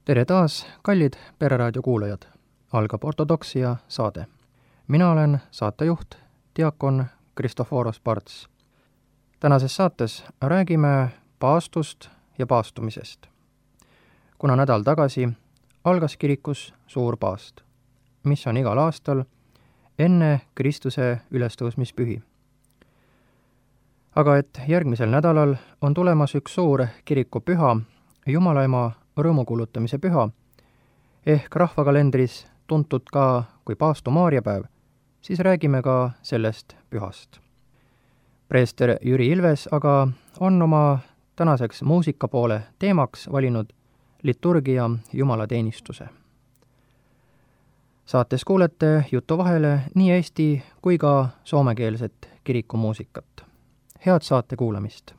Tere taas, kallid Pereraadio kuulajad! Algab ortodoksia saade. Mina olen saatejuht, diakon Kristoforos Parts. Tänases saates räägime paastust ja paastumisest. Kuna nädal tagasi algas kirikus suur paast, mis on igal aastal enne Kristuse ülestõusmispühi. Aga et järgmisel nädalal on tulemas üks suur kirikupüha, Jumalaema rõõmukuulutamise püha, ehk rahvakalendris tuntud ka kui Paastu Maarjapäev, siis räägime ka sellest pühast. Preester Jüri Ilves aga on oma tänaseks muusika poole teemaks valinud liturgia jumalateenistuse. Saates kuulete jutu vahele nii eesti kui ka soomekeelset kirikumuusikat. Head saate kuulamist!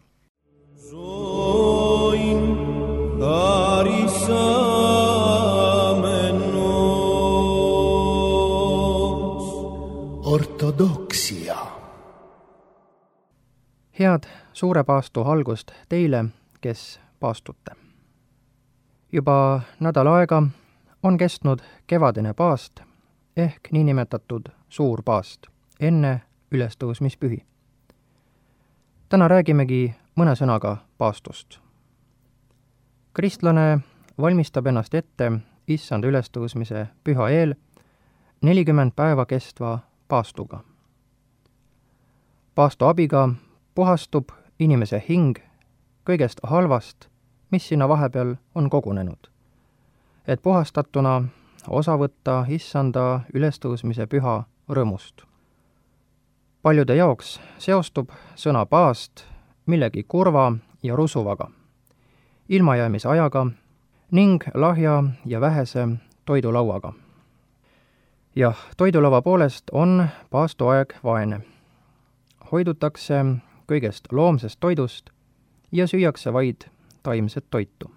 Ortodoksia. Head suure paastu algust teile, kes paastute. Juba nädal aega on kestnud kevadine paast ehk niinimetatud suur paast enne ülestõusmispühi. Täna räägimegi mõne sõnaga paastust. Kristlane valmistab ennast ette issanda ülestõusmise püha eel 40 päeva kestva paastuga. Paastu abiga puhastub inimese hing kõigest halvast, mis sinna vahepeal on kogunenud, et puhastatuna osa võtta issanda ülestõusmise püha rõõmust. Paljude jaoks seostub sõna paast millegi kurva ja rusuvaga, ilmajäämisajaga ning lahja ja vähese toidulauaga. Jah, toidulava poolest on paastuaeg vaene. Hoidutakse kõigest loomsest toidust ja süüakse vaid taimset toitu.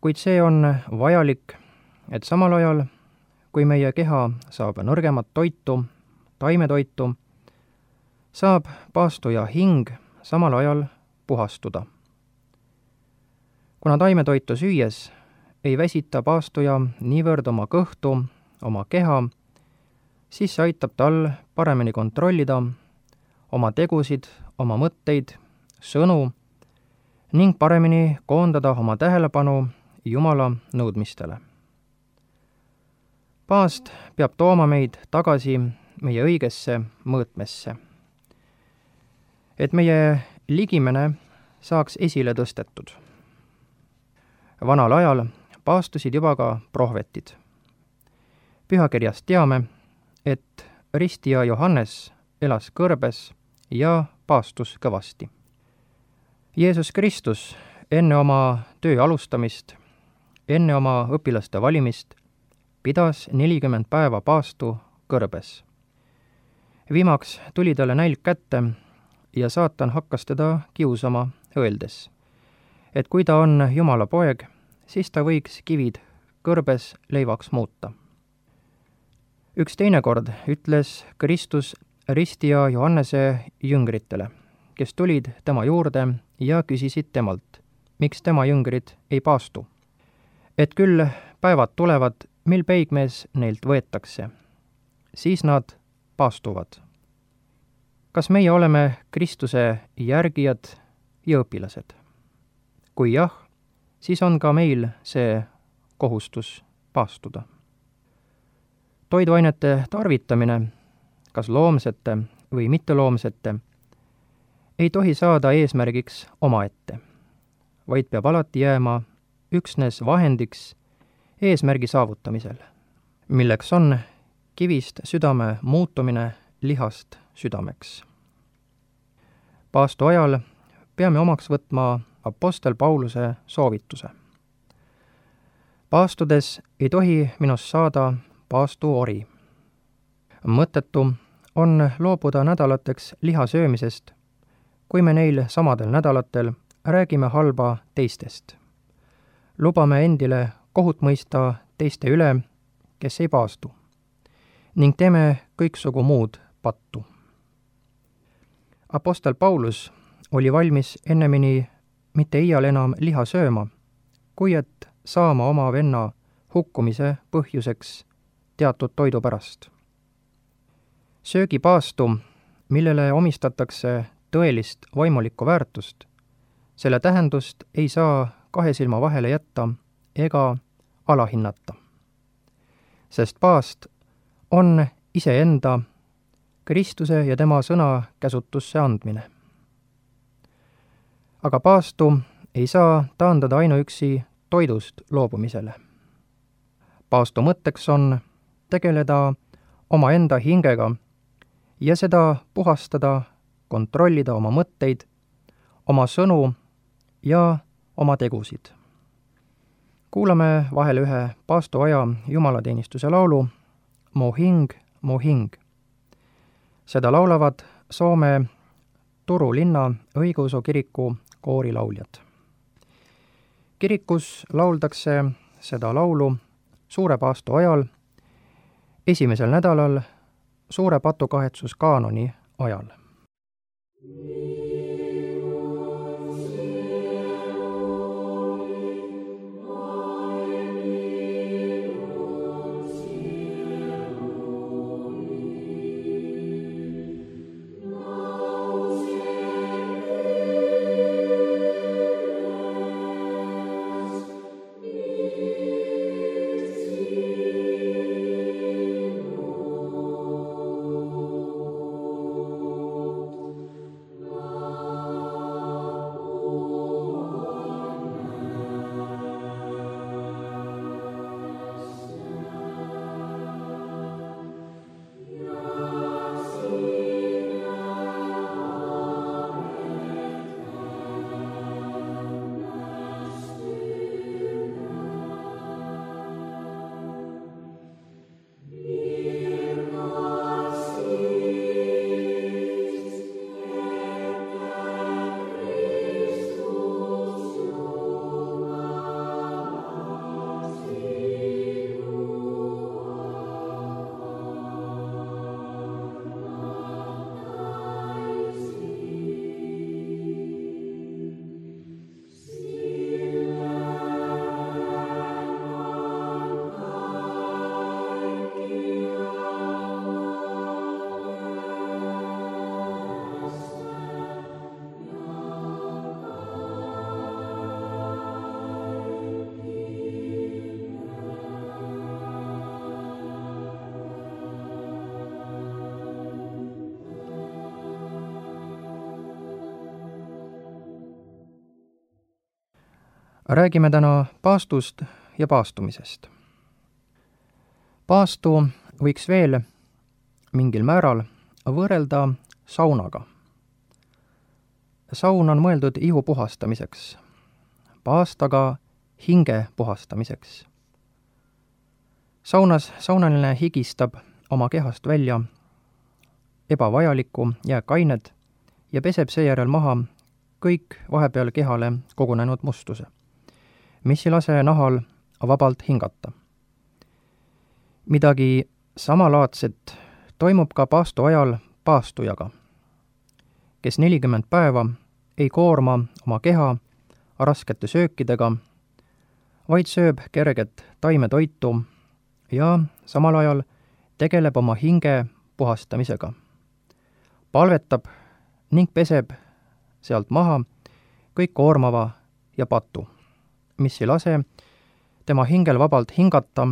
Kuid see on vajalik, et samal ajal, kui meie keha saab nõrgemat toitu, taimetoitu, saab paastuja hing samal ajal puhastuda. Kuna taimetoitu süües ei väsita paastuja niivõrd oma kõhtu, oma keha, siis see aitab tal paremini kontrollida oma tegusid, oma mõtteid, sõnu ning paremini koondada oma tähelepanu Jumala nõudmistele. Paast peab tooma meid tagasi meie õigesse mõõtmesse, et meie ligimene saaks esile tõstetud. Vanal ajal paastusid juba ka prohvetid. Pühakirjast teame, et ristija Johannes elas kõrbes ja paastus kõvasti. Jeesus Kristus enne oma töö alustamist, enne oma õpilaste valimist, pidas 40 päeva paastu kõrbes. Viimaks tuli talle nälg kätte ja saatan hakkas teda kiusama, öeldes, et kui ta on Jumala poeg, siis ta võiks kivid kõrbes leivaks muuta. Üks teine kord ütles Kristus ristija Johannese jüngritele, kes tulid tema juurde ja küsisid temalt, miks tema jüngrid ei paastu. Et küll päevad tulevad, mil peigmees neilt võetakse, siis nad paastuvad. Kas meie oleme Kristuse järgijad ja õpilased? Kui jah, siis on ka meil see kohustus paastuda. Toiduainete tarvitamine, kas loomsete või mitteloomsete, ei tohi saada eesmärgiks omaette, vaid peab alati jääma üksnes vahendiks eesmärgi saavutamisel, milleks on kivist südame muutumine lihast südameks. Paastu ajal peame omaks võtma apostel Pauluse soovituse. Paastudes ei tohi minust saada paastuori. Mõttetu on loobuda nädalateks liha söömisest, kui me neil samadel nädalatel räägime halba teistest. Lubame endile kohut mõista teiste üle, kes ei paastu, ning teeme kõiksugu muud pattu. Apostel Paulus oli valmis ennemini mitte iial enam liha sööma, kui et saama oma venna hukkumise põhjuseks teatud toidu pärast. Söögipaastu, millele omistatakse tõelist vaimulikku väärtust, selle tähendust ei saa kahe silma vahele jätta ega alahinnata. Sest paast on iseenda Kristuse ja tema sõna käsutusse andmine. Aga paastu ei saa taandada ainuüksi toidust loobumisele. Paastu mõtteks on tegeleda omaenda hingega ja seda puhastada, kontrollida oma mõtteid, oma sõnu ja oma tegusid. Kuulame vahel ühe paastuaja jumalateenistuse laulu Mu hing, mu hing. Seda laulavad Soome Turu linna õigeusu kiriku koorilauljad. Kirikus lauldakse seda laulu suure paastu ajal, esimesel nädalal suure patukahetsuskaanoni ajal. Räägime täna paastust ja paastumisest. Paastu võiks veel mingil määral võrrelda saunaga. Saun on mõeldud ihu puhastamiseks, paast aga hinge puhastamiseks. Saunas saunaline higistab oma kehast välja ebavajalikku jääkained ja peseb seejärel maha kõik vahepeal kehale kogunenud mustuse, mis ei lase nahal vabalt hingata. Midagi samalaadset toimub ka paastu ajal paastujaga, kes 40 päeva ei koorma oma keha raskete söökidega, vaid sööb kerget taimetoitu ja samal ajal tegeleb oma hinge puhastamisega, palvetab ning peseb sealt maha kõik koormava ja patu, mis ei lase tema hingel vabalt hingata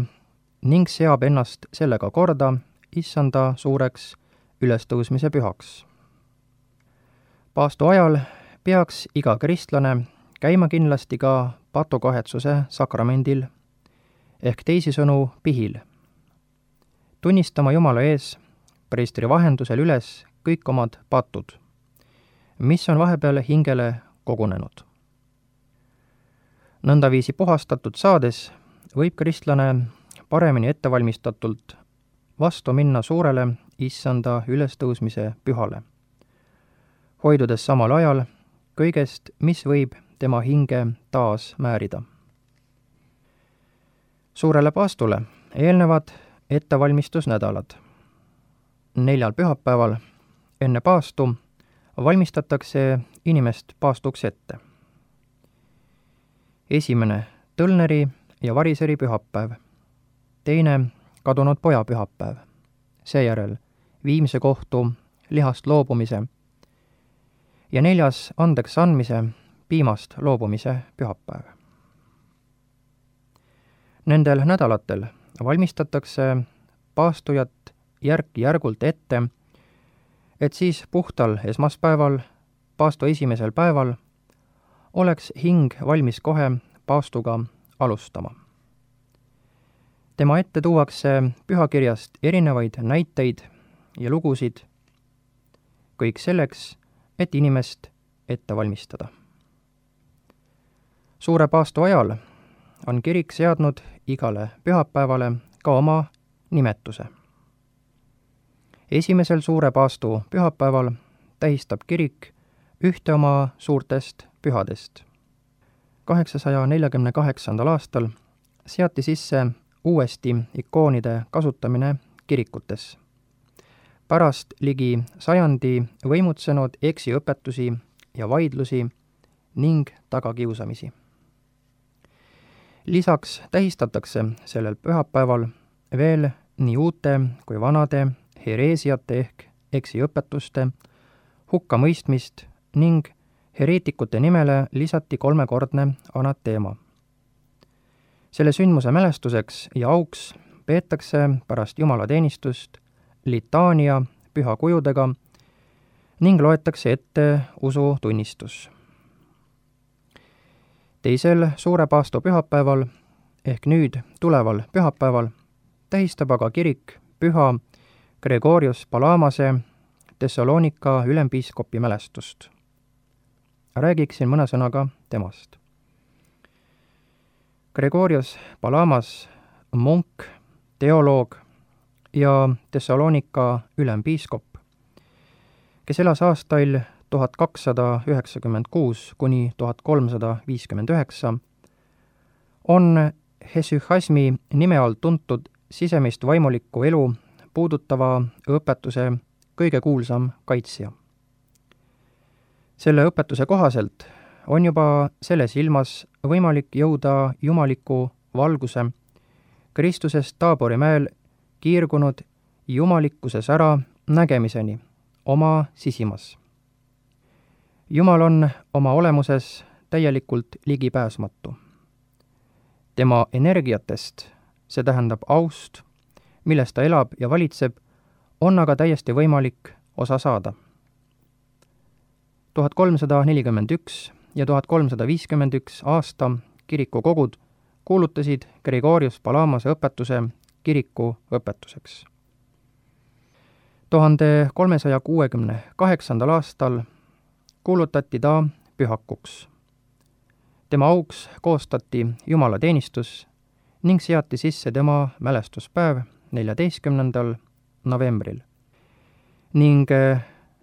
ning seab ennast sellega korda issanda suureks ülestõusmise pühaks. Paastu ajal peaks iga kristlane käima kindlasti ka patukahetsuse sakramendil ehk teisisõnu pihil, tunnistama Jumala ees preestri vahendusel üles kõik omad patud, mis on vahepeal hingele kogunenud. Nõndaviisi puhastatud saades võib kristlane paremini ettevalmistatult vastu minna suurele issanda ülestõusmise pühale, hoidudes samal ajal kõigest, mis võib tema hinge taas määrida. Suurele paastule eelnevad ettevalmistusnädalad. 4 pühapäeval enne paastu valmistatakse inimest paastuks ette. Esimene tõlneri ja variseri pühapäev, teine kadunud poja pühapäev, seejärel viimse kohtu lihast loobumise ja neljas andeks andmise, piimast loobumise pühapäev. Nendel nädalatel valmistatakse paastujat järk-järgult ette, et siis puhtal esmaspäeval, paastu esimesel päeval, oleks hing valmis kohe paastuga alustama. Tema ette tuuakse pühakirjast erinevaid näiteid ja lugusid, kõik selleks, et inimest ette valmistada. Suure paastu ajal on kirik seadnud igale pühapäevale ka oma nimetuse. Esimesel suure paastu pühapäeval tähistab kirik ühte oma suurtest pühadest. 848. aastal seati sisse uuesti ikoonide kasutamine kirikutes. Pärast ligi sajandi võimutsenud eksiõpetusi ja vaidlusi ning tagakiusamisi. Lisaks tähistatakse sellel pühapäeval veel nii uute kui vanade hereesiate ehk eksiõpetuste hukkamõistmist ning hereetikute nimele lisati 3-kordne anateema. Selle sündmuse mälestuseks ja auks peetakse pärast jumalateenistust litaania pühakujudega ning loetakse ette usutunnistus. Teisel suure paastu pühapäeval ehk nüüd tuleval pühapäeval tähistab aga kirik püha Gregorius Palamase Thessalonika ülempiiskopi mälestust. Räägiksin mõne sõnaga temast. Gregorius Palamas, munk, teoloog ja Thessalonika ülempiiskop, kes elas aastail 1296 kuni 1359, on hesychasmi nime all tuntud sisemist vaimulikku elu puudutava õpetuse kõige kuulsam kaitsja. Selle õpetuse kohaselt on juba selles ilmas võimalik jõuda jumaliku valguse Kristusest Taabori mäel kiirgunud jumalikkuses ära nägemiseni oma sisimas. Jumal on oma olemuses täielikult ligipääsmatu. Tema energiatest, see tähendab aust, milles ta elab ja valitseb, on aga täiesti võimalik osa saada. 1341 ja 1351 aasta kirikukogud kuulutasid Gregorius Palamase õpetuse kiriku õpetuseks. 1368. aastal kuulutati ta pühakuks. Tema auks koostati jumalateenistus ning seati sisse tema mälestuspäev 14. novembril ning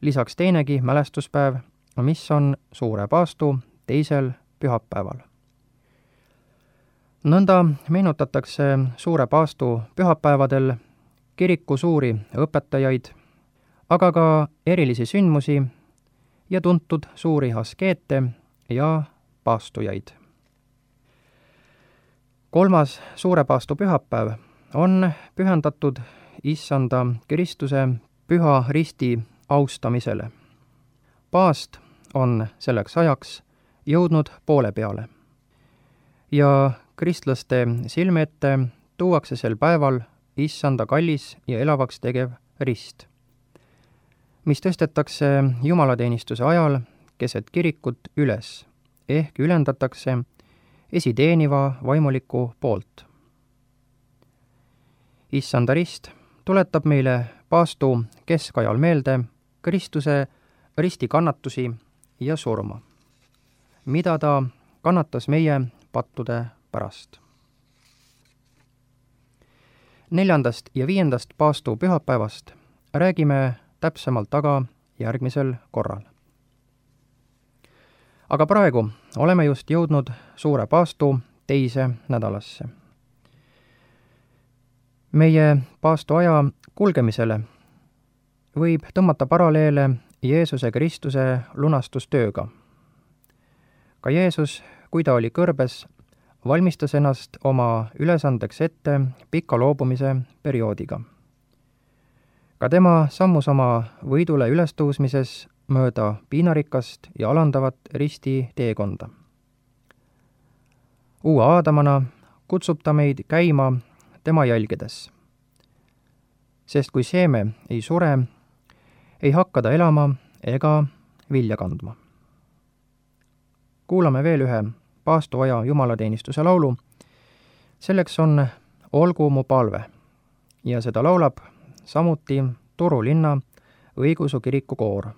lisaks teinegi mälestuspäev, mis on suure paastu teisel pühapäeval. Nõnda meenutatakse suure paastu pühapäevadel kiriku suuri õpetajaid, aga ka erilisi sündmusi ja tuntud suuri askeete ja paastujaid. 3. suure paastu pühapäev on pühendatud Issanda Kristuse püha risti austamisele. Paast on selleks ajaks jõudnud poole peale ja kristlaste silme ette tuuakse sel päeval Issanda kallis ja elavaks tegev rist, mis tõstetakse jumalateenistuse ajal keset kirikut üles ehk ülendatakse esiteeniva vaimuliku poolt. Issanda rist tuletab meile paastu keskajal meelde Kristuse ristikannatusi ja surma, mida ta kannatas meie pattude pärast. 4. ja 5. paastu pühapäevast räägime täpsemalt aga järgmisel korral. Aga praegu oleme just jõudnud suure paastu teise nädalasse. Meie paastu aja kulgemisele võib tõmmata paralleele Jeesuse Kristuse lunastustööga. Ka Jeesus, kui ta oli kõrbes, valmistas ennast oma ülesandeks ette pika loobumise perioodiga. Ka tema sammus oma võidule ülestõusmises mööda piinarikast ja alandavat risti teekonda. Uue Aadamana kutsub ta meid käima tema jälgedes. Sest kui seeme ei sure, ei hakka ta elama ega vilja kandma. Kuulame veel ühe paastoaja jumalateenistuse laulu. Selleks on Olgu mu palve ja seda laulab samuti Turu linna õigeusu kiriku koor.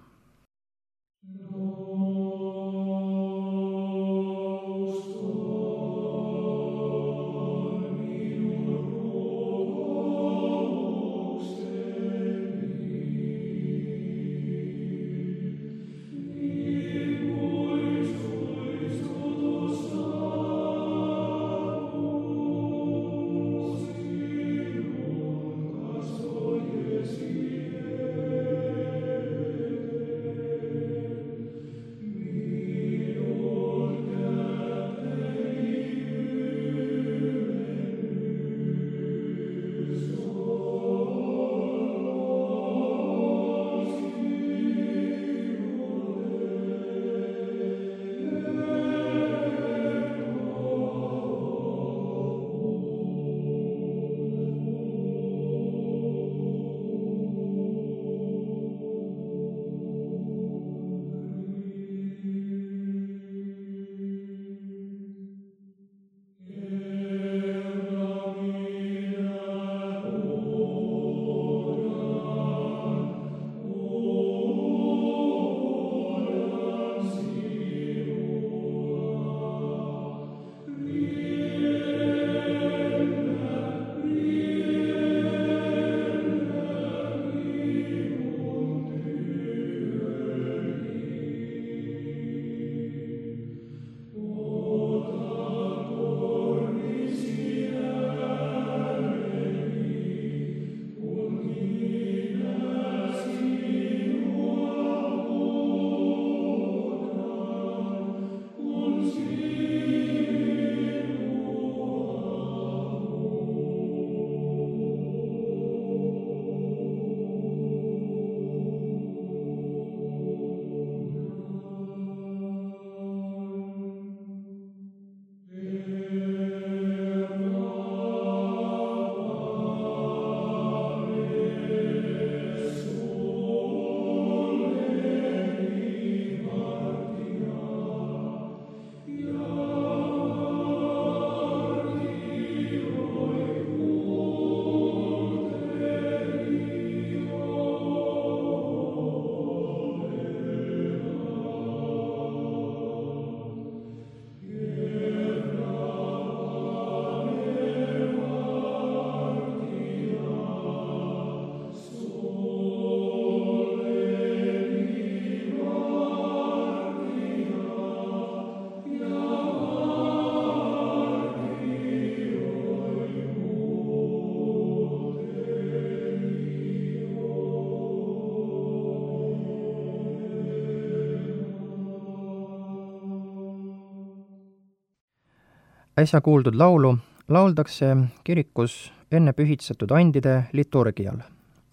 Äsja kuuldud laulu lauldakse kirikus enne pühitsetud andide liturgial,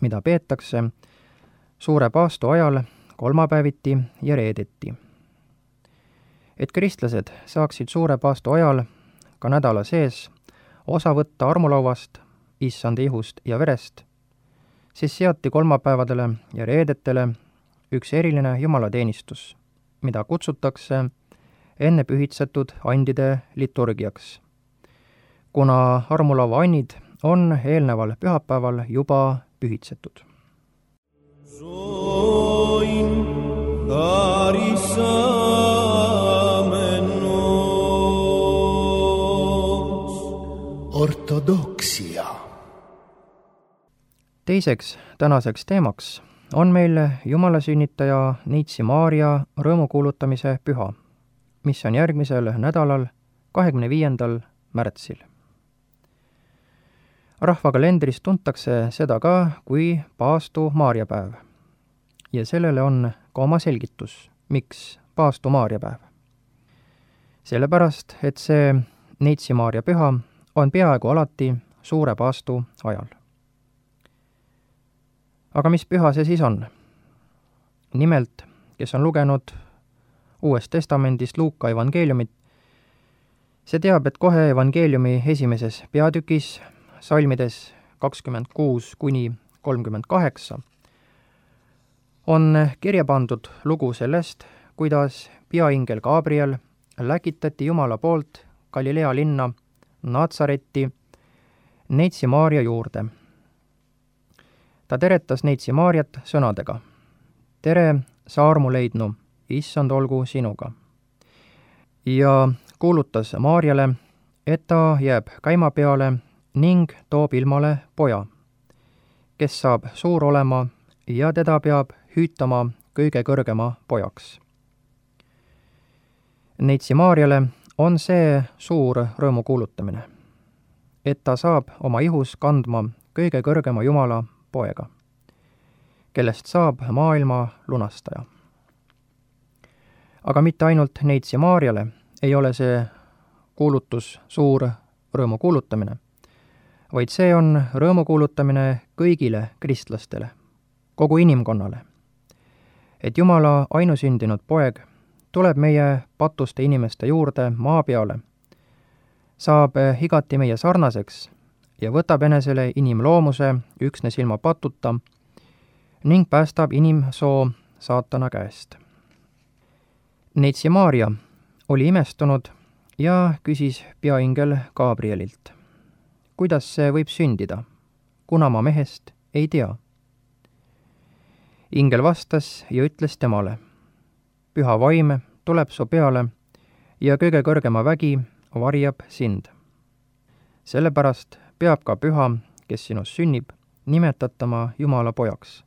mida peetakse suure paastu ajal kolmapäeviti ja reedeti. Et kristlased saaksid suure paastu ajal ka nädala sees osa võtta armulauast, issanda ihust ja verest, siis seati kolmapäevadele ja reedetele üks eriline jumalateenistus, mida kutsutakse enne pühitsetud andide liturgiaks, kuna armulaua annid on eelneval pühapäeval juba pühitsetud. Ortodoksia. Teiseks tänaseks teemaks on meil jumalasünnitaja Neitsi Maarja rõõmukuulutamise püha, mis on järgmisel nädalal 25. märtsil. Rahvakalendris tuntakse seda ka kui paastu Maarjapäev. Ja sellele on ka oma selgitus, miks paastu Maarjapäev. Sellepärast, et see Neitsi Maarja püha on peaaegu alati suure paastu ajal. aga mis püha see siis on? Nimelt, kes on lugenud Uuest Testamendist Luuka evangeeliumit, see teab, et kohe evangeeliumi esimeses peatükis, salmides 26 kuni 38, on kirja pandud lugu sellest, kuidas peaingel Gabriel läkitati Jumala poolt Galilea linna Natsaretti Neitsi Maarja juurde. Ta teretas Neitsi Maarjat sõnadega: tere, sa armu leidnu, issand olgu sinuga. Ja kuulutas Maarjale, et ta jääb käima peale ning toob ilmale poja, kes saab suur olema ja teda peab hüütama kõige kõrgema pojaks. Neitsi Maarjale on see suur rõõmu kuulutamine, et ta saab oma ihus kandma kõige kõrgema Jumala poega, kellest saab maailma lunastaja. aga mitte ainult Neitsi Maarjale ei ole see kuulutus suur rõõmu kuulutamine, vaid see on rõõmu kuulutamine kõigile kristlastele, kogu inimkonnale, et Jumala ainusündinud poeg tuleb meie patuste inimeste juurde maa peale, saab igati meie sarnaseks ja võtab enesele inimloomuse üksnes ilma patuta ning päästab inimsoo saatana käest. Neitsi Maarja oli imestunud ja küsis peaingel Gabrielilt: kuidas see võib sündida, kuna ma mehest ei tea? Ingel vastas ja ütles temale: püha vaim tuleb su peale ja kõige kõrgema vägi varjab sind. Sellepärast peab ka püha, kes sinust sünnib, nimetatama Jumala pojaks.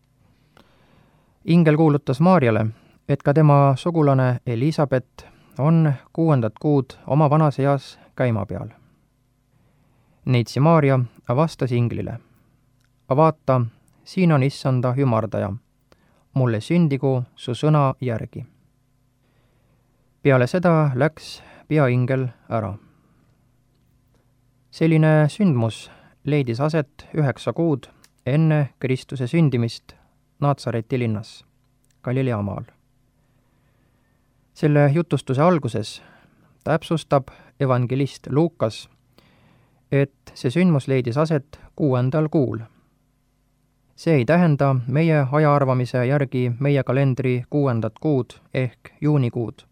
Ingel kuulutas Maarjale, et ka tema sugulane Elisabet on 6. kuud oma vanas eas käima peal. Neitsi Maarja vastas inglile: vaata, siin on issanda ümardaja, mulle sündigu su sõna järgi. Peale seda läks peaingel ära. Selline sündmus leidis aset 9 kuud enne Kristuse sündimist Natsareti linnas, Galilea maal. Selle jutustuse alguses täpsustab evangelist Luukas, et see sündmus leidis aset 6. kuul. See ei tähenda meie ajaarvamise järgi meie kalendri 6. kuud ehk juunikuud,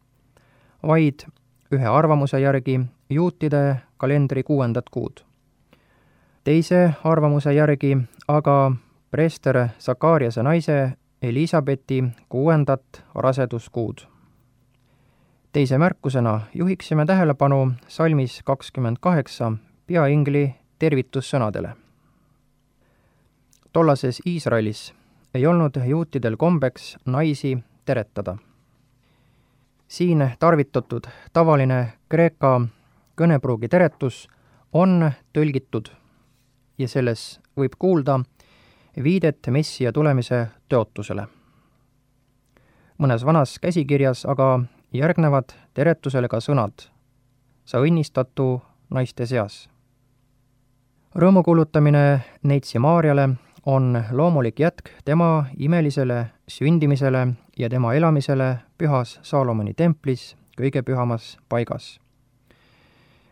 vaid ühe arvamuse järgi juutide kalendri 6. kuud. Teise arvamuse järgi aga preester Sakariase naise Elisabeti 6. raseduskuud. Teise märkusena juhiksime tähelepanu salmis 28 peaingli tervitussõnadele. Tollases Iisraelis ei olnud juutidel kombeks naisi teretada. Siin tarvitatud tavaline kreeka kõnepruugi teretus on tõlgitud ja selles võib kuulda viidet Messia tulemise tõotusele. Mõnes vanas käsikirjas aga järgnevad teretusele ka sõnad: sa õnnistatu naiste seas. Rõõmu kuulutamine Neitsi Maarjale on loomulik jätk tema imelisele sündimisele ja tema elamisele pühas Saalomoni templis kõige pühamas paigas,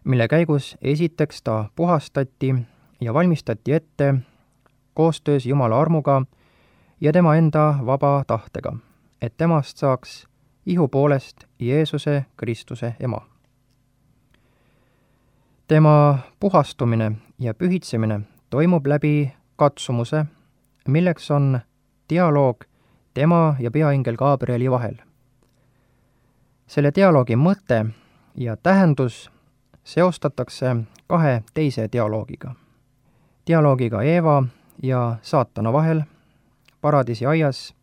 mille käigus esiteks ta puhastati ja valmistati ette koostöös Jumala armuga ja tema enda vaba tahtega, et temast saaks ihu poolest Jeesuse Kristuse ema. Tema puhastumine ja pühitsemine toimub läbi katsumuse, milleks on dialoog tema ja peaingel Gabrieli vahel. Selle dialoogi mõte ja tähendus seostatakse 2 teise dialoogiga. Dialoogiga Eeva ja saatana vahel paradiisi aias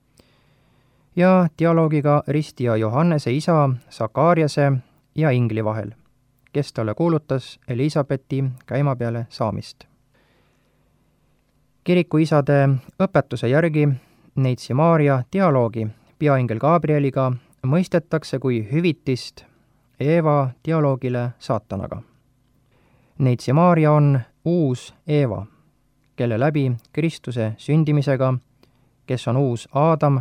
ja dialoogiga ristija Johannese isa Sakariase ja ingli vahel, kes talle kuulutas Elisabeti käima peale saamist. Kirikuisade õpetuse järgi Neitsi Maarja dialoogi peaingel Gabrieliga mõistetakse kui hüvitist Eeva dialoogile saatanaga. Neitsi Maarja on uus Eeva, kelle läbi Kristuse sündimisega, kes on uus Aadam,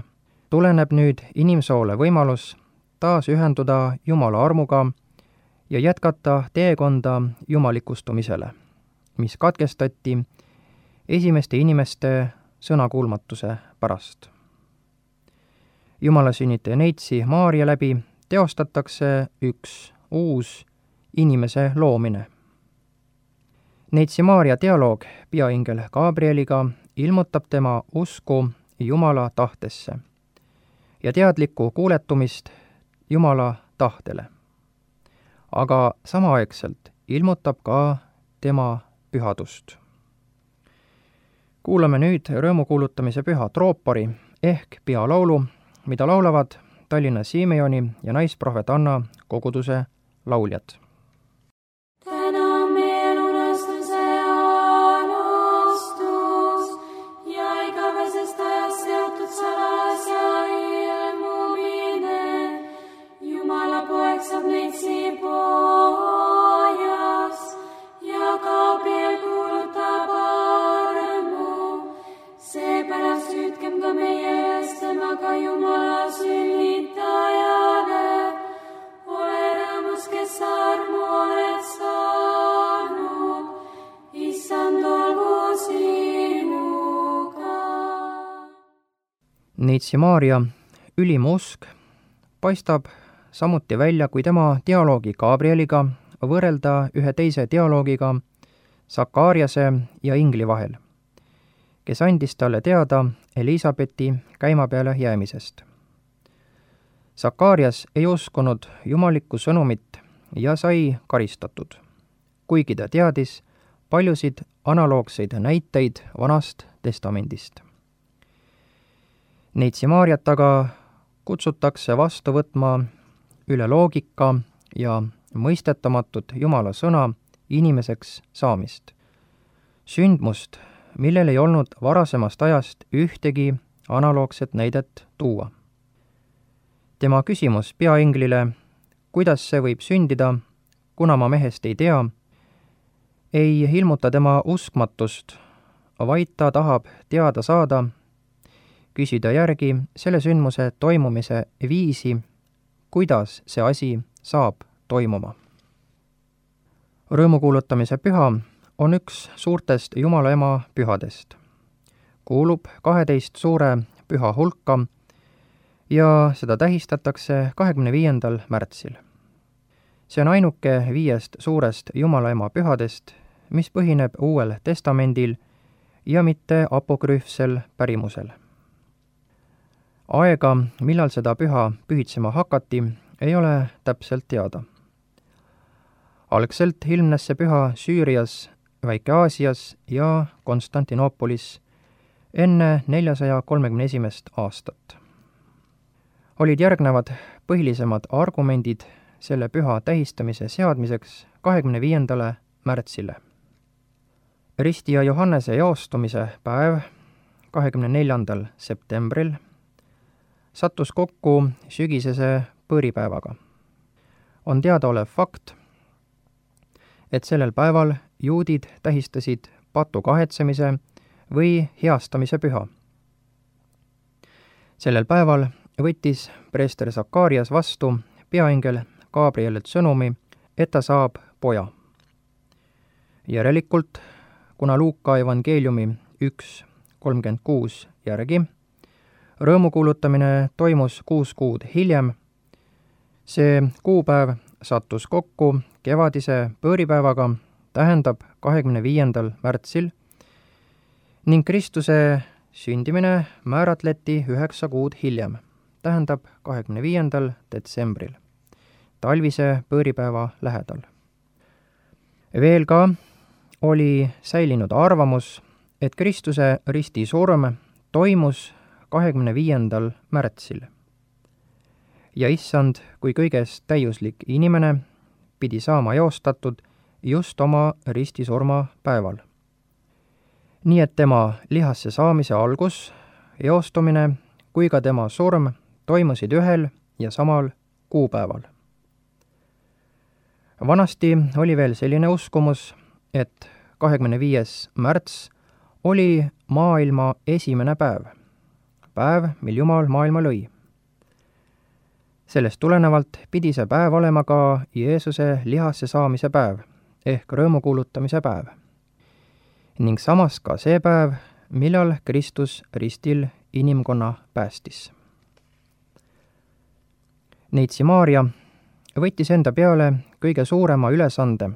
tuleneb nüüd inimsoole võimalus taas ühenduda Jumala armuga ja jätkata teekonda jumalikustumisele, mis katkestati esimeste inimeste sõnakuulmatuse pärast. Jumala sünnitaja Neitsi Maarja läbi teostatakse üks uus inimese loomine. Neitsi Maarja dialoog peaingel Gabrieliga ilmutab tema usku Jumala tahtesse ja teadlikku kuuletumist Jumala tahtele. Aga samaaegselt ilmutab ka tema pühadust. Kuulame nüüd rõõmukuulutamise püha troopari ehk pealaulu, mida laulavad Tallinna Simeoni ja naisprohvet Anna koguduse lauljad. Jumala sünnitajale, ole rõõmus, kes armu oled saanud, issand olgu sinuga. Neitsi Maarja ülim usk paistab samuti välja, kui tema dialoogi Gabrieliga võrrelda ühe teise dialoogiga Sakariase ja ingli vahel, kes andis talle teada Elisabeti käimapeale jäämisest. Sakarias ei uskunud jumalikku sõnumit ja sai karistatud, kuigi ta teadis paljusid analoogseid näiteid Vanast Testamendist. Neitsi Maarjat aga kutsutakse vastu võtma üle loogika ja mõistetamatut Jumala sõna inimeseks saamist. Sündmust, millel ei olnud varasemast ajast ühtegi analoogset näidet tuua. Tema küsimus peainglile, kuidas see võib sündida, kuna ma mehest ei tea, ei ilmuta tema uskmatust, vaid ta tahab teada saada, küsida järgi selle sündmuse toimumise viisi, kuidas see asi saab toimuma. Rõõmukuulutamise püha on üks suurtest Jumala ema pühadest. Kuulub 12 suure püha hulka ja seda tähistatakse 25. märtsil. See on ainuke 5 suurest Jumala ema pühadest, mis põhineb Uuel Testamendil ja mitte apokrüüfsel pärimusel. Aega, millal seda püha pühitsema hakati, ei ole täpselt teada. Algselt ilmnes see püha Süürias, Väike-Aasias ja Konstantinoopolis enne 431. aastat. Olid järgnevad põhilisemad argumendid selle püha tähistamise seadmiseks 25. märtsile. Risti ja Johannese jaostumise päev 24. septembril sattus kokku sügisese põõripäevaga. On teadaolev fakt, et sellel päeval juudid tähistasid patu kahetsemise või heastamise püha. Sellel päeval võttis preester Sakarias vastu peaingel Gabrielilt sõnumi, et ta saab poja. Järelikult, kuna Luuka evangeeliumi 1.36 järgi rõõmukuulutamine toimus 6 kuud hiljem, see kuupäev sattus kokku kevadise põõripäevaga, tähendab 25. märtsil, ning Kristuse sündimine määratleti 9 kuud hiljem, tähendab 25. detsembril, talvise põõripäeva lähedal. Veel ka oli säilinud arvamus, et Kristuse ristisurm toimus 25. märtsil ja issand kui kõigest täiuslik inimene pidi saama eostatud just oma ristisurma päeval. Nii et tema lihasse saamise algus, eostumine kui ka tema surm toimusid ühel ja samal kuupäeval. Vanasti oli veel selline uskumus, et 25. märts oli maailma esimene päev, mil Jumal maailma lõi. Sellest tulenevalt pidi see päev olema ka Jeesuse lihasse saamise päev ehk rõõmu kuulutamise päev. Ning samas ka see päev, millal Kristus ristil inimkonna päästis. Neitsi Maarja võttis enda peale kõige suurema ülesande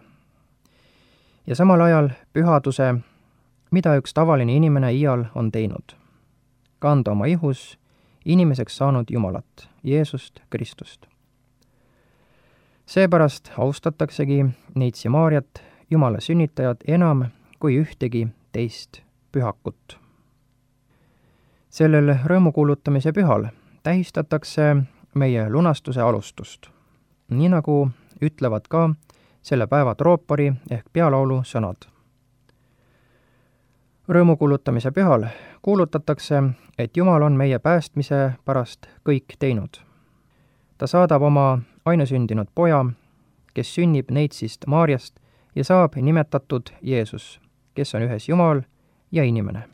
ja samal ajal pühaduse, mida üks tavaline inimene iial on teinud, kanda oma ihus inimeseks saanud Jumalat, Jeesust Kristust. Seepärast austataksegi Neitsi Maarjat, Jumala sünnitajat, enam kui ühtegi teist pühakut. Sellel rõõmukuulutamise pühal tähistatakse meie lunastuse alustust, nii nagu ütlevad ka selle päeva troopari ehk pealaulu sõnad. Rõõmukuulutamise pühal kuulutatakse, et Jumal on meie päästmise pärast kõik teinud. Ta saadab oma ainusündinud poja, kes sünnib Neitsist Maarjast ja saab nimetatud Jeesus, kes on ühes Jumal ja inimene.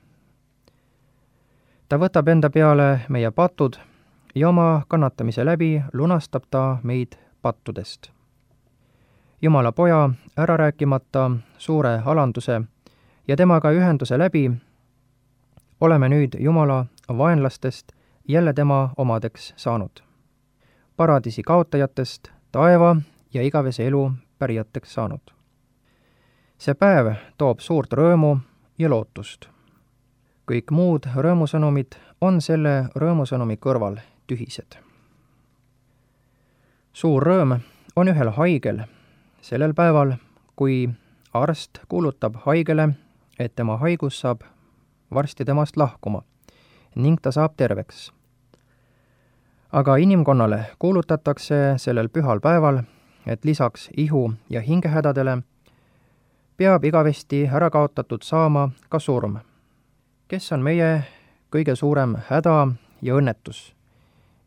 Ta võtab enda peale meie patud ja oma kannatamise läbi lunastab ta meid pattudest. Jumala poja ära rääkimata suure alanduse ja temaga ühenduse läbi oleme nüüd Jumala vaenlastest jälle tema omadeks saanud. Paradiisi kaotajatest taeva ja igavese elu pärijateks saanud. See päev toob suurt rõõmu ja lootust. Kõik muud rõõmusõnumid on selle rõõmusõnumi kõrval tühised. Suur rõõm on ühel haigel sellel päeval, kui arst kuulutab haigele, et tema haigus saab varsti temast lahkuma ning ta saab terveks. Aga inimkonnale kuulutatakse sellel pühal päeval, et lisaks ihu- ja hingehädadele peab igavesti ära kaotatud saama ka surm, kes on meie kõige suurem häda ja õnnetus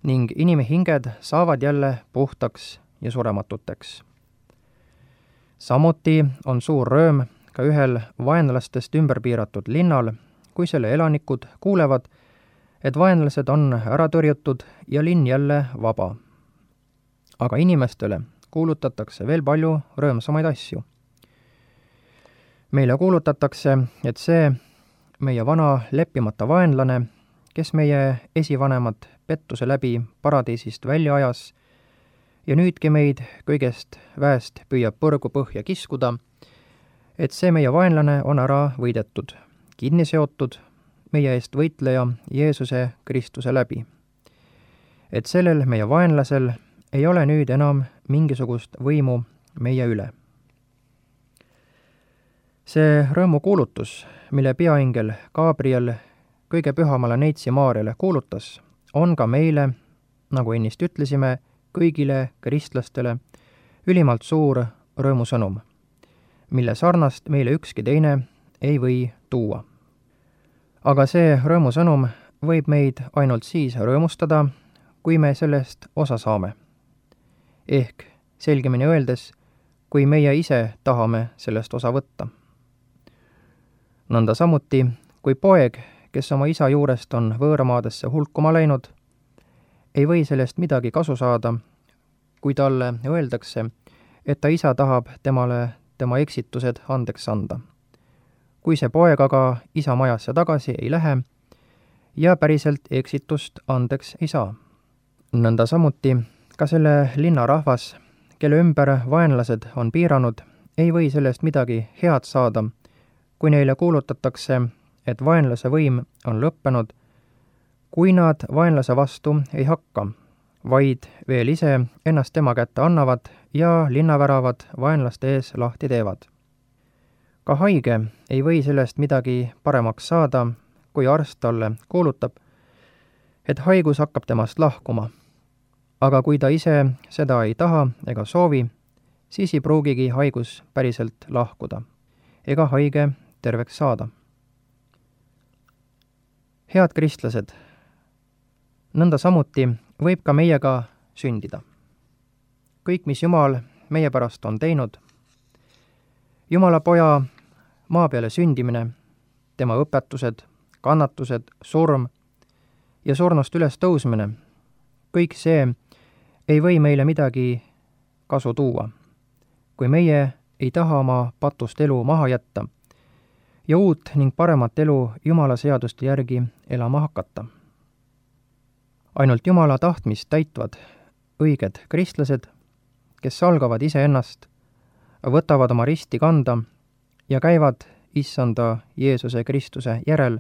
ning inimhinged saavad jälle puhtaks ja surematuteks. Samuti on suur rõõm ka ühel vaenlastest ümber piiratud linnal, kui selle elanikud kuulevad, et vaenlased on ära tõrjutud ja linn jälle vaba. Aga inimestele kuulutatakse veel palju rõõmsamaid asju. Meile kuulutatakse, et see meie vana leppimata vaenlane, kes meie esivanemad pettuse läbi paradiisist välja ajas ja nüüdki meid kõigest väest püüab põrgu põhja kiskuda, et see meie vaenlane on ära võidetud, kinni seotud meie eest võitleja Jeesuse Kristuse läbi. Et sellel meie vaenlasel ei ole nüüd enam mingisugust võimu meie üle. See rõõmukuulutus, mille peaingel Gabriel kõige pühamale Neitsi Maarjale kuulutas, on ka meile, nagu ennist ütlesime, kõigile kristlastele ülimalt suur rõõmusõnum, mille sarnast meile ükski teine ei või tuua. Aga see rõõmusõnum võib meid ainult siis rõõmustada, kui me sellest osa saame. Ehk selgemini öeldes, kui meie ise tahame sellest osa võtta. Nõnda samuti, kui poeg, kes oma isa juurest on võõramaadesse hulkuma läinud, ei või sellest midagi kasu saada, kui talle öeldakse, et ta isa tahab temale tema eksitused andeks anda. Kui see poeg aga isa majasse tagasi ei lähe ja päriselt eksitust andeks ei saa. Nõnda samuti ka selle linna rahvas, kelle ümber vaenlased on piiranud, ei või sellest midagi head saada, kui neile kuulutatakse, et vaenlase võim on lõppenud, kui nad vaenlase vastu ei hakka, vaid veel ise ennast tema kätte annavad ja linnaväravad vaenlaste ees lahti teevad. Ka haige ei või sellest midagi paremaks saada, kui arst talle kuulutab, et haigus hakkab temast lahkuma. Aga kui ta ise seda ei taha ega soovi, siis ei pruugigi haigus päriselt lahkuda ega haige terveks saada. Head kristlased, nõnda samuti võib ka meiega sündida. Kõik, mis Jumal meie pärast on teinud, Jumala poja maa peale sündimine, tema õpetused, kannatused, surm ja surnust üles tõusmine, kõik see ei või meile midagi kasu tuua, kui meie ei taha oma patust elu maha jätta ja uut ning paremat elu Jumala seaduste järgi elama hakata. Ainult Jumala tahtmist täitvad õiged kristlased, kes salgavad iseennast, võtavad oma risti kanda ja käivad Issanda Jeesuse Kristuse järel,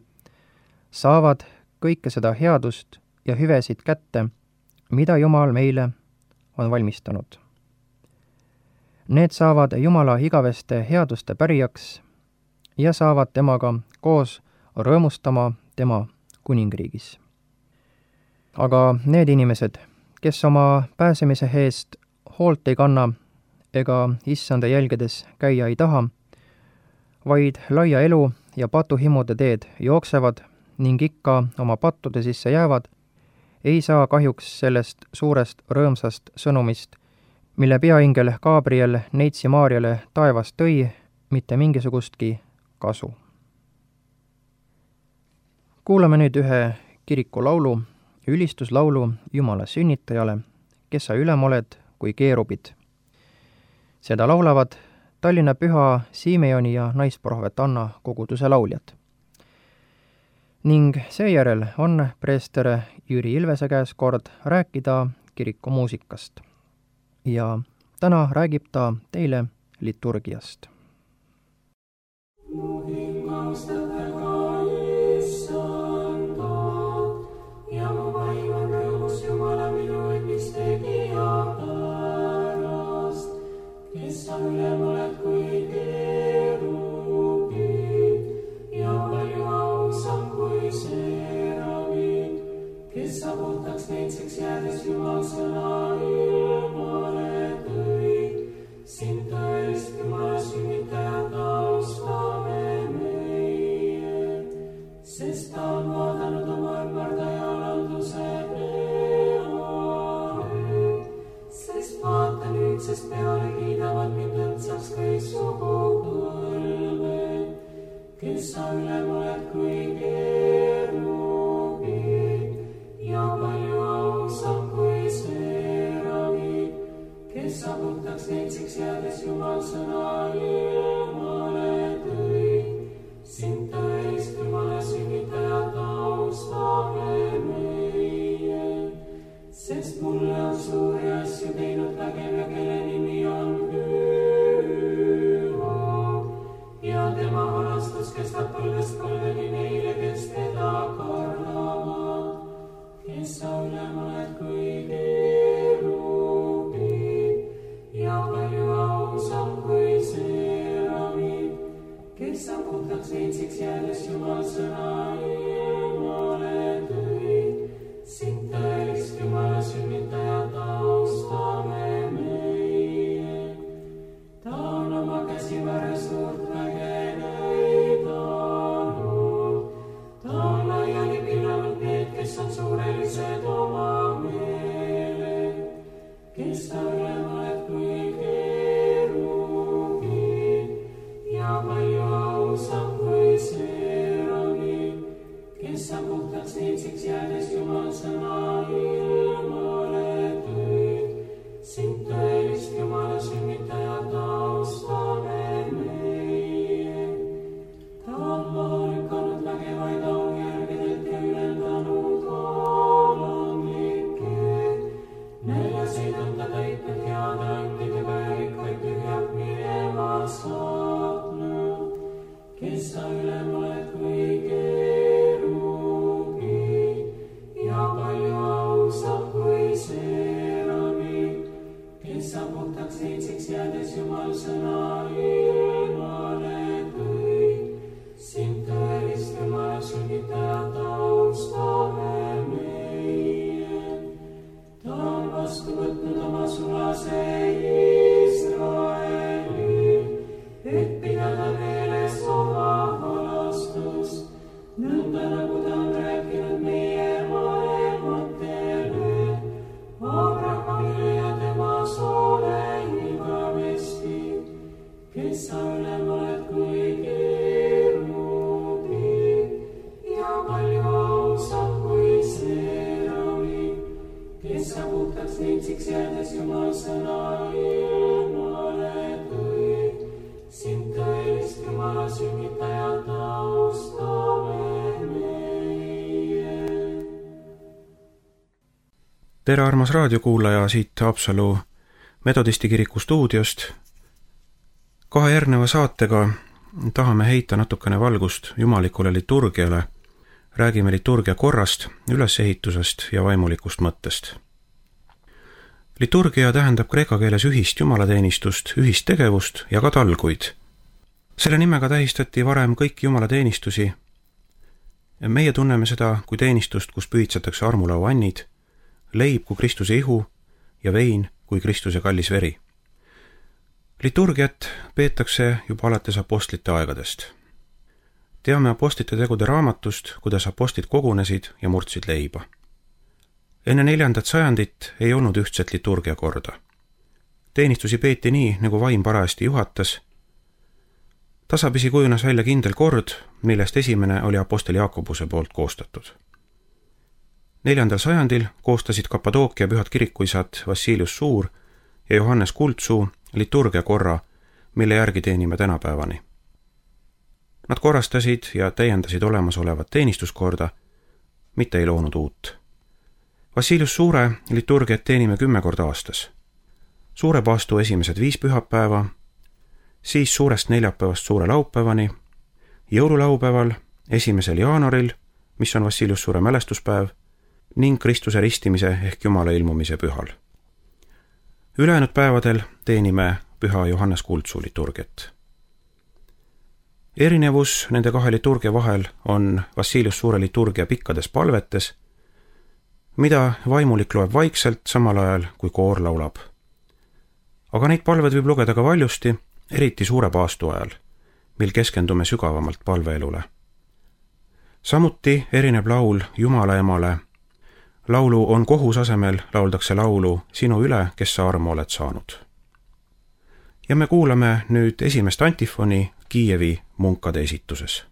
saavad kõike seda headust ja hüvesid kätte, mida Jumal meile on valmistanud. Need saavad Jumala igaveste headuste pärijaks ja saavad temaga koos rõõmustama tema kuningriigis. Aga need inimesed, kes oma pääsemise eest hoolt ei kanna ega Issanda jälgedes käia ei taha, vaid laia elu ja patuhimude teed jooksevad ning ikka oma pattude sisse jäävad, ei saa kahjuks sellest suurest rõõmsast sõnumist, mille peaingel Gabriel neitsi Maarjale taevast tõi, mitte mingisugustki kasu. Kuulame nüüd ühe kirikulaulu, ülistuslaulu Jumala sünnitajale, kes sa ülem oled kui keerubid. Seda laulavad Tallinna Püha Simeoni ja naisprohvet Anna koguduse lauljad. Ning seejärel on preester Jüri Ilvese käes kord rääkida kiriku muusikast. Ja täna räägib ta teile liturgiast. Mu hing austate ka Issandat ja mu vaim on rõõmus Jumala minu õnnist tegija pärast, kes sa ülem oled kui keerubid ja palju ausam kui seerabid, kes sa puhtaks neitseks jäädes Jumal sõna ilmale tõid, sind tõelist Jumala sünnitajat austame meie, sest ta on vaadanud oma ümmardaja alanduse peale, sest vaata nüüdsest peale kiidavad mind õndsaks kõik sugupõlved, kes sa ülem oled kui keerubid ja palju ausam kui seerabid, kes sa puhtaks neitseks jäädes Jumal sõna ilmale tõid, sind tõelist Jumala sünnitajat austame meie, sest mulle on suuri asju teinud vägev ja kelle nimi on püha ja tema armastus kestab põlvest põlveni neile, kes teda kardavad, kes sa ülem oled kui keerubid ja palju ausam kui seerabid, kes sa puhtaks neitseks jäädes Jumal sõna ilmale tõid, sind tõelist Jumala sünnitajat austame meie. Ta on oma käsivarre suurt väge näidanud, ta on laiali pillanud need, kes on suurelised oma meeled, kes sa ülem oled kui keerubid ja palju ausam kui seerabid, kes sa puhtaks neitseks jäädes Jumal sõna ilmale tõid, sind tõelist Jumala sünnitajat austame meie. Ta on maha lükanud vägevaid aujärgedelt ja ülendanud alanlikke, näljaseid on ta täitnud heade andidega ja rikkaid tühjalt minema saatnud, kes sa ülem oled kui keerubid ja palju ausam kui seerabid, kes sa puhtaks neitseks jäädes Jumal sõna ilmale tõid, sind tõelist Jumala sünnitajat austame meie. Ta on vastu võtnud oma sulase Iisraeli, et pidada meeles oma halastust, nõnda nagu ta on rääkinud meie vanematele, Abrahamile ja tema soole igavesti, kes sa ülem tere, armas raadiokuulaja siit Haapsalu Metodisti kiriku stuudiost. 2 järgneva saatega tahame heita natukene valgust jumalikule liturgiale. Räägime liturgia korrast, ülesehitusest ja vaimulikust mõttest. Liturgia tähendab kreeka keeles ühist jumalateenistust, ühist tegevust ja ka talguid. Selle nimega tähistati varem kõiki jumalateenistusi. Meie tunneme seda kui teenistust, kus pühitsetakse armulauannid, leib kui Kristuse ihu ja vein kui Kristuse kallis veri. Liturgiat peetakse juba alates apostlite aegadest. Teame apostlite tegude raamatust, kuidas apostlid kogunesid ja murdsid leiba. Enne 4. sajandit ei olnud ühtset liturgia korda. Teenistusi peeti nii, nagu vaim parajasti juhatas. Tasapisi kujunes välja kindel kord, millest esimene oli apostel Jaakobuse poolt koostatud. 4. sajandil koostasid Kappadookia pühad kirikuisad Vassilius Suur ja Johannes Kuldsuu liturgia korra, mille järgi teenime tänapäevani. Nad korrastasid ja täiendasid olemasolevat teenistuskorda, mitte ei loonud uut. Vassilius Suure liturgiat teenime 10 korda aastas. Suure paastu esimesed 5 pühapäeva, siis suurest neljapäevast suure laupäevani, jõululaupäeval 1. jaanuaril, mis on Vassilius Suure mälestuspäev, ning Kristuse ristimise ehk Jumala ilmumise pühal. Ülejäänud päevadel teenime püha Johannes Kuldsuu liturgiat. Erinevus nende 2 liturgia vahel on Vassilius Suure liturgia pikkades palvetes, mida vaimulik loeb vaikselt samal ajal, kui koor laulab. Aga neid palved võib lugeda ka valjusti, eriti suure paastu ajal, mil keskendume sügavamalt palveelule. Samuti erineb laul Jumala emale. Laulu On kohus asemel lauldakse laulu Sinu üle, kes sa armu oled saanud. Ja me kuulame nüüd esimest antifoni Kiievi munkade esituses.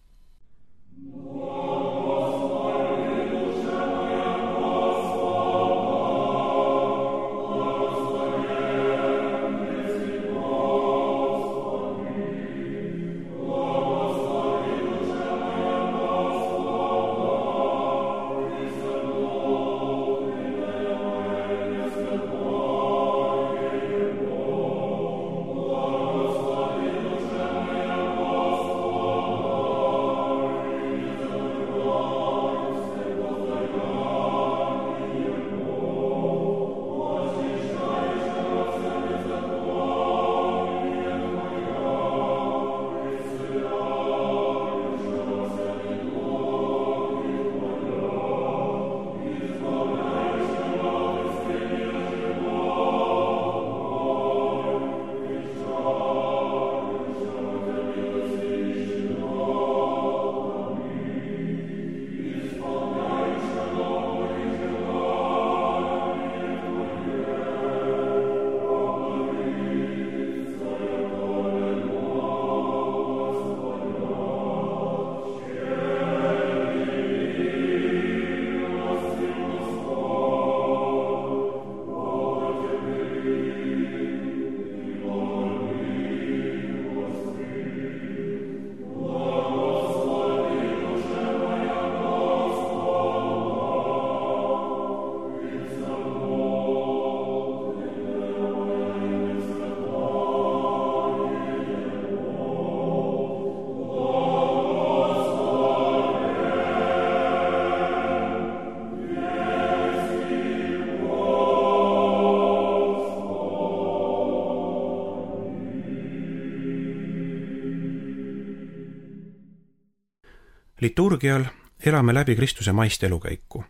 Liturgial elame läbi Kristuse maist elukäiku,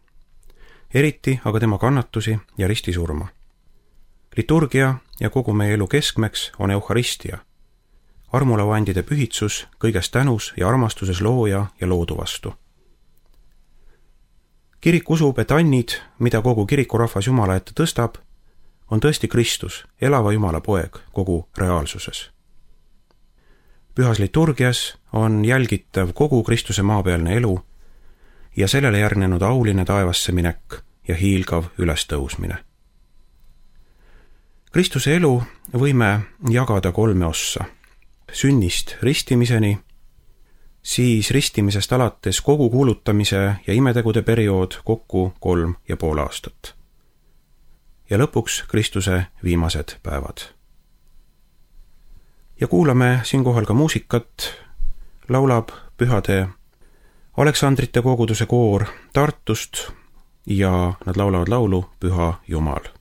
eriti aga tema kannatusi ja ristisurma. Liturgia ja kogu meie elu keskmeks on euharistia, armulauandide pühitsus kõiges tänus ja armastuses looja ja loodu vastu. Kirik usub, et annid, mida kogu kirikurahvas Jumala ette tõstab, on tõesti Kristus, elava Jumala poeg kogu reaalsuses. Pühas liturgias on jälgitav kogu Kristuse maapealne elu ja sellele järgnenud auline taevasse minek ja hiilgav ülestõusmine. Kristuse elu võime jagada 3 ossa. Sünnist ristimiseni, siis ristimisest alates kogu kuulutamise ja imetegude periood kokku 3,5 aastat. ja lõpuks Kristuse viimased päevad. Ja kuulame siinkohal ka muusikat, laulab pühade Aleksandrite koguduse koor Tartust ja nad laulavad laulu Püha Jumal.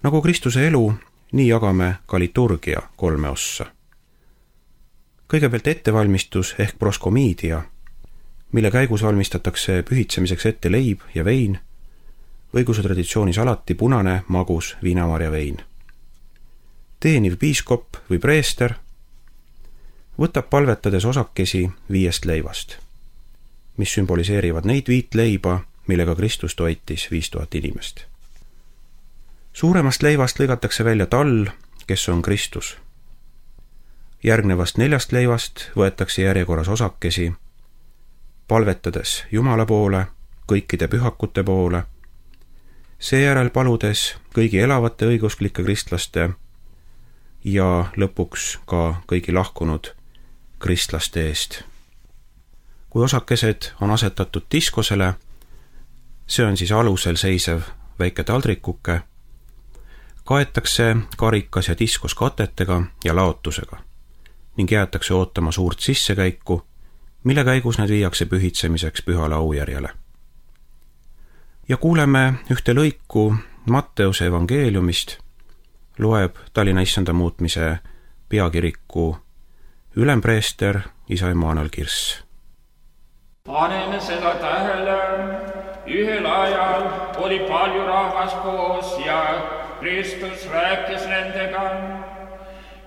Nagu Kristuse elu, nii jagame ka liturgia 3 ossa. Kõigepealt ettevalmistus ehk proskomiidia, mille käigus valmistatakse pühitsemiseks ette leib ja vein, õigeusu traditsioonis alati punane, magus viinamarja vein. Teeniv piiskop või preester võtab palvetades osakesi 5 leivast, mis sümboliseerivad neid 5 leiba, millega Kristus toitis 5000 inimest. Suuremast leivast lõigatakse välja tall, kes on Kristus. Järgnevast 4 leivast võetakse järjekorras osakesi, palvetades Jumala poole, kõikide pühakute poole, seejärel paludes kõigi elavate õigeusklikke kristlaste ja lõpuks ka kõigi lahkunud kristlaste eest. Kui osakesed on asetatud diskosele, see on siis alusel seisev väike taldrikuke, kaetakse karikas ja diskos katetega ja laotusega ning jäetakse ootama suurt sissekäiku, mille käigus need viiakse pühitsemiseks pühale aujärjele. Ja kuuleme ühte lõiku Matteuse evangeeliumist, loeb Tallinna Issanda muutmise peakiriku ülempreester isa Emanuel Kirss. Paneme seda tähele, ühel ajal oli palju rahvas koos ja Kristus rääkis nendega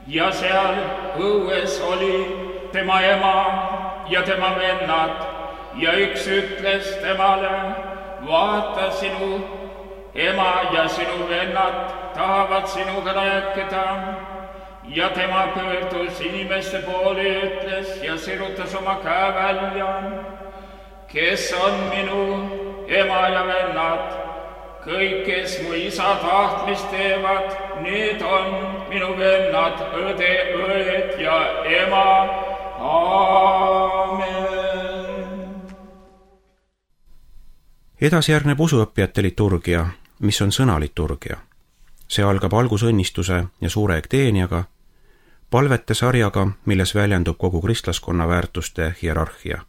ja seal õues oli tema ema ja tema vennad ja üks ütles temale, vaata, sinu ema ja sinu vennad tahavad sinuga rääkida. Ja tema pöördus inimeste poole ja ütles ja sirutas oma käe välja, kes on minu ema ja vennad. Kõik, kes mu isa tahtmist teevad, need on minu vennad, õde, õed ja ema. Aamen. edasi järgneb usuõppijate liturgia, mis on sõnaliturgia. see algab algusõnnistuse ja suure ekteeniaga, palvete sarjaga, milles väljendub kogu kristlaskonna väärtuste hierarhia.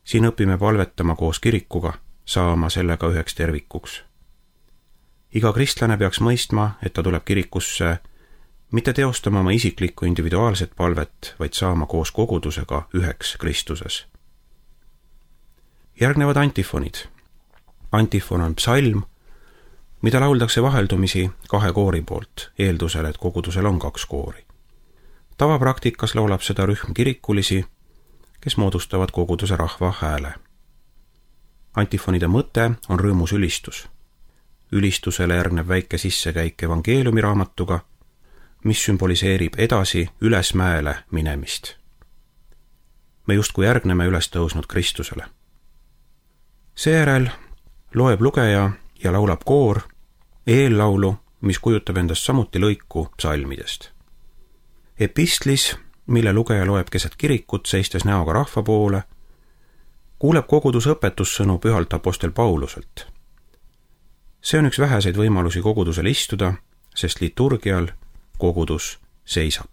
siin õpime palvetama koos kirikuga, saama sellega üheks tervikuks. iga kristlane peaks mõistma, et ta tuleb kirikusse mitte teostama oma isiklikku individuaalset palvet, vaid saama koos kogudusega üheks Kristuses. Järgnevad antifonid. Antifon on psalm, mida lauldakse vaheldumisi 2 koori poolt, eeldusel, et kogudusel on 2 koori. Tavapraktikas laulab seda rühm kirikulisi, kes moodustavad koguduse rahva hääle. Antifonide mõte on rõõmus ülistus. Ülistusele järgneb väike sissekäik evangeeliumi raamatuga, mis sümboliseerib edasi ülesmäele minemist. Me justkui järgneme üles tõusnud Kristusele. Seejärel loeb lugeja ja laulab koor eellaulu, mis kujutab endast samuti lõiku psalmidest. Epistlis, mille lugeja loeb keset kirikut, seistes näoga rahva poole, kuuleb kogudus õpetussõnu pühalt apostel Pauluselt. See on üks väheseid võimalusi kogudusel istuda, sest liturgial kogudus seisab.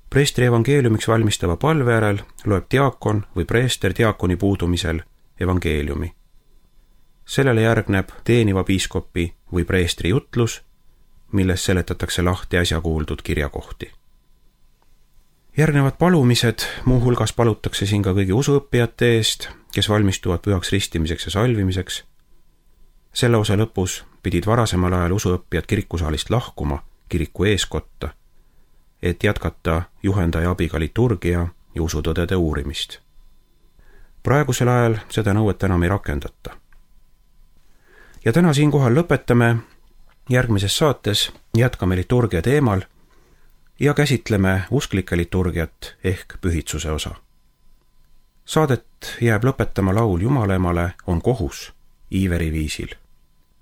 Preestri evangeeliumiks valmistava palve järel loeb diakon või preester diakoni puudumisel evangeeliumi. Sellele järgneb teeniva piiskopi või preestri jutlus, milles seletatakse lahti äsja kuuldud kirjakohti. Järgnevad palumised, muuhulgas palutakse siin ka kõigi usuõppijate eest, kes valmistuvad pühaks ristimiseks ja salvimiseks. Selle osa lõpus pidid varasemal ajal usuõppijad kirikusaalist lahkuma kiriku eeskotta, et jätkata juhendaja abiga liturgia ja usutõdede uurimist. Praegusel ajal seda nõuet enam ei rakendata. Ja täna siinkohal lõpetame, järgmises saates jätkame liturgia teemal ja käsitleme usklike liturgiat ehk pühitsuse osa. Saadet jääb lõpetama laul Jumalale on kohus Iiveri viisil.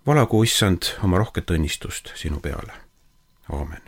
Valagu, Issand, oma rohket õnnistust sinu peale. Aamen.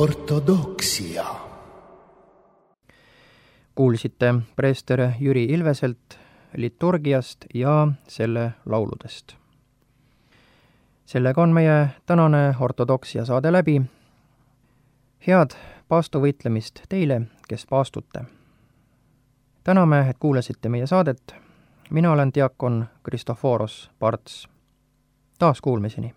Ortodoksia. Kuulsite preester Jüri Ilveselt liturgiast ja selle lauludest. Sellega on meie tänane ortodoksia saade läbi. Head paastuvõitlemist teile, kes paastute. Täname, et kuulasite meie saadet. Mina olen diakon Kristoforos Parts. taas kuulmiseni!